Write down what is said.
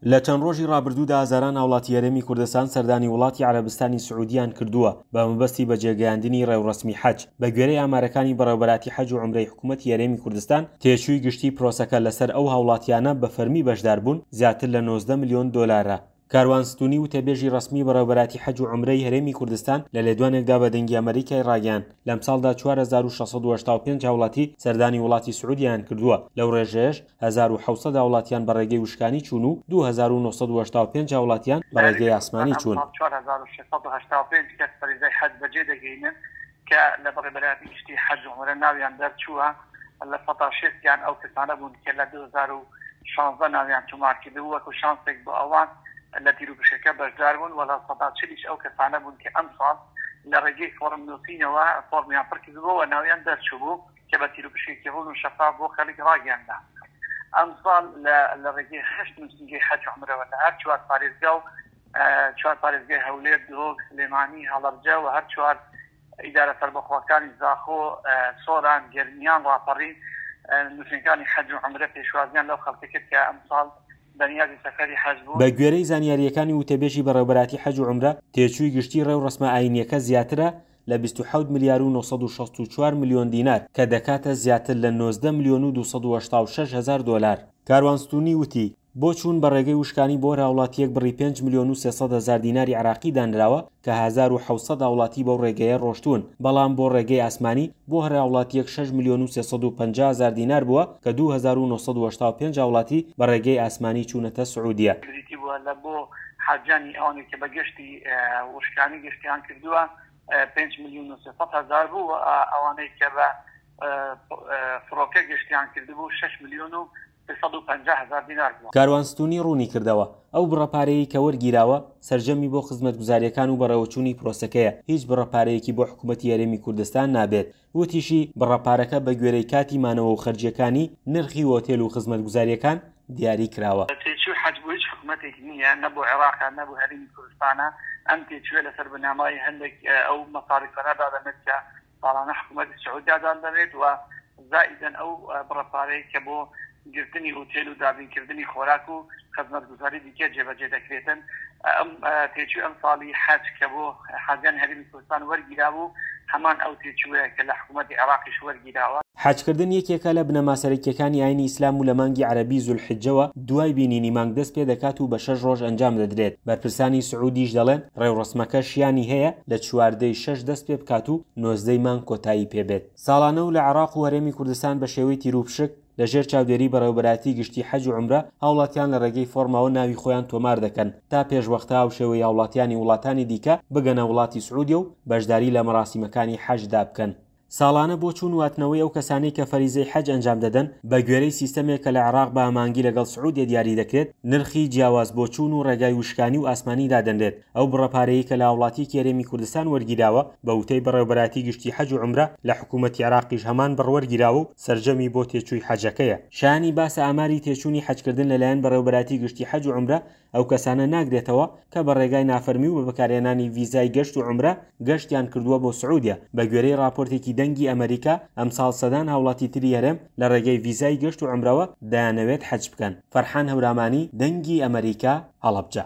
لە چەند ڕۆژی ڕابردوودا هەزاران هاوڵاتی هەرێمی کوردستان سەردانی وڵاتی عەرەبستانی سعودیان کردووە بە مەبەستی بەجێگەیاندنی ڕێوڕەسمی حەج. بە گوێرەی ئامارەکانی بەڕێوەبەراتی حەج و عومرەی حکوومەتی هەرێمی کوردستان، تێچووی گشتی پرۆسەکە لەسەر ئەو هاوڵاتیانە بە فەرمی بەشداربوون زیاتر لە 19 ملیۆن دۆلارە. کاروان ستونی وتەبێژی ڕەسمی بەڕێوەبەراتی حەج و عومرەی هەرێمی کوردستان لە لێدوانێکدا بە دەنگی ئەمەریکای ڕاگەیاند، لەمساڵدا 4685 هاوڵاتی سەردانی وڵاتی سعودیەیان کردووە، لەو ڕێژەیەش 1700 هاوڵاتیان بە ڕێگەی وشکانی چوون و 2985 هاوڵاتیان بە لە ڕێگەی هەرێمی ئاسمانی کوردستان چوون. ئەمساڵ 4685 کەس فەریزەی حەج بەجێ دەگەینن کە لە بەڕێوەبەرایەتی گشتی حەج و عومرە ناویان دەرچووە، لە سەدا شێستیان ئەو کەسانە بوون کە لە 2016 ناویان تۆمار کردبوو، وەکو شانسێک بۆ ئەوان لە تیروپشکەکە بەشدار بوون و لە سەدا چلیش ئەو کەسانە بوون کە ئەمساڵ لە ڕێگەی فۆڕم نووسینەوە فۆڕمیان پڕ کردبوو و ناویان دەرچووبوو کە بە تیروپشکێکی ڕوون و شەفاف بۆ خەڵک ڕاگەیاندرا. ئەمساڵ لە ڕێگەی هەشت نووسینگەی حەج و عومرەوە لە هەر چوار پارێزگا و چوار پارێزگای هەولێر، دهۆک، سلێمانی، هەڵەبجە و هەر چوار ئیدارە سەربەخۆکانی زاخۆ، سۆران، گەرمیان، ڕاپەڕین، نووسینگەکانی حەج و عومرە پێشوازیان لەو خەڵکە کرد کە ئەمساڵ بەنیازی سەفەری حەج بوون. بە گوێرەی زانیارییەکانی وتەبێژی بەڕێوەبەراتی حەج و عومرە، تێچووی گشتی ڕێوڕەسمە ئایینییەکە زیاترە لە 27 ملیار و 964 ملیۆن دینار، کە دەکاتە زیاتر لە 19 ملیۆن و 286 هەزار دۆلار. کاروان ستونی وتی، بۆ چوون بە ڕێگەی وشکانی بۆ هەر هاوڵاتییەک بڕی 5,300,000 دیناری عێراقی دانراوە کە 1700 هاوڵاتی بەو ڕێگەیە ڕۆشتوون، بەڵام بۆ ڕێگەی ئاسمانی بۆ هەر هاوڵاتییەک 6,350,000 دینار بووە کە 2985 هاوڵاتی بە ڕێگەی ئاسمانی چوونەتە سعودیە. بریتی بووە لە بۆ حاجیانی ئەوانەی کە بە گەشتی وشکانی گەشتیان کردووە 5,300,000 بوو و ئەوانەی کە بە فڕۆکە گەشتیان کردبوو 6,350,000 دینار بووە. کاروان ستونی ڕوونیکردەوە، ئەو بڕە پارەیەی کە وەرگیراوە سەرجەمی بۆ خزمەتگوزارییەکان و بەڕێوەچوونی پرۆسەکەیە، هیچ بڕە پارەیەکی بۆ حکومەتی هەرێمی کوردستان نابێت. وتیشی، بڕە پارەکە بەگوێرەی کاتی مانەوە و خەرجییەکانی نرخی هۆتێل و خزمەتگوزارییەکان دیاری کراوە. تێچووی حەج بۆ هیچ حکومەتێک نییە، نە بۆ عێراقە نە بۆ هەرێمی کوردستانە، ئەم تێچووە لەسەر بنەمای هەندێک ئەو مەساریفانە دادەنرێت کە ساڵانە حکوومەتی سعودیا دادەنێت و زائیدەن ئەو بڕە پارەی کە بۆ گرتنی ئوتێل و دابینکردنی خۆراک و خزمەتگوزاری دیکە جێبەجێ دەکرێتن. ئەم تێچووی ئەمساڵی حەج کە بۆ حاجیانی هەرێمی کوردستان وەرگیرابوو هەمان ئەو تێچووەیە کە لە حکوومەتی عێراقیش وەرگیراوە. حەجکردن یەکێکە لە بنەما سەرەکییەکانی ئاینی ئیسلام و لە مانگی عەرەبی زولحیجەوە دوای بینینی مانگ دەست پێدەکات و بە شەش ڕۆژ ئەنجام دەدرێت، بەرپرسانی سعودیش دەڵێن ڕێوڕەسمەکە شیانی هەیە لە چواردەی شەش دەست پێبکات و نۆزدەی مانگ کۆتایی پێبێت. ساڵانە و لە عێراق و هەرێمی کوردستان بە شێوەی تیروپشک لە ژێر چاودێری بەڕێوەبەرایەتی گشتی حەج و عومرە هاوڵاتیان لە ڕێگەی فۆڕمەوە ناوی خۆیان تۆمار دەکەن تا پێشوەختە هاوشێوەی هاوڵاتیانی وڵاتانی دیکە بگەنە وڵاتی سعودیە و بەشداری لە مەراسیمەکانی حەجدا بکەن. ساڵانە بۆ چوون و هاتنەوەی ئەو کەسانەی کە فەریزەی حەج ئەنجام دەدەن، بە گوێرەی سیستەمێک کە لە عێراق بە هەماهەنگی لەگەڵ سعودیە دیاری دەکرێت، نرخی جیاواز بۆ چوون و ڕێگای وشکانی و ئاسمانی دادەنرێت. ئەو بڕە پارەیەی کە لە هاوڵاتییەکی هەرێمی کوردستان وەرگیراوە، بە وتەی بەڕێوەبەرایەتی گشتی حەج و عومرە لە حکوومەتی عێراقیش هەمان بڕ وەرگیراوە و سەرجەمی بۆ تێچووی حەجەکەیە. شایانی باسە ئاماری تێچوونی حەجکردن لەلایەن بەڕێوەبەرایەتی گشتی حەج و عومرە ئەو کەسانە ناگرێتەوە کە بە ڕێگای نافەرمی و بە بەکارهێنانی ڤیزای گەشت و عومرە گەشتیان کردووە بۆ سعودیە. بە گوێرەی ڕاپۆرتێکی دەنگی ئەمەریکا، ئەمساڵ سەدان هاوڵاتی تری هەرێم لە ڕێگەی ڤیزای گەشت و عومرەوە دەیانەوێت حەج بکەن. فەرحان هەورامانی، دەنگی ئەمەریکا، هەڵەبجە.